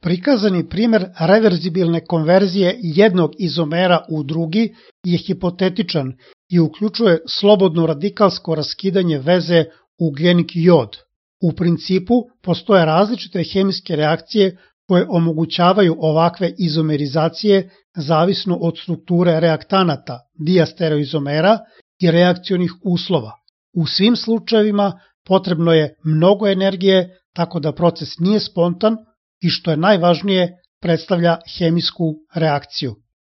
Prikazani primer reverzibilne konverzije jednog izomera u drugi je hipotetičan i uključuje slobodno radikalsko raskidanje veze ugljenik-jod. U principu postoje različite hemijske reakcije koje omogućavaju ovakve izomerizacije zavisno od strukture reaktanata, diastereoizomera i reakcionih uslova. U svim slučajevima potrebno je mnogo energije, tako da proces nije spontan i što je najvažnije predstavlja hemijsku reakciju.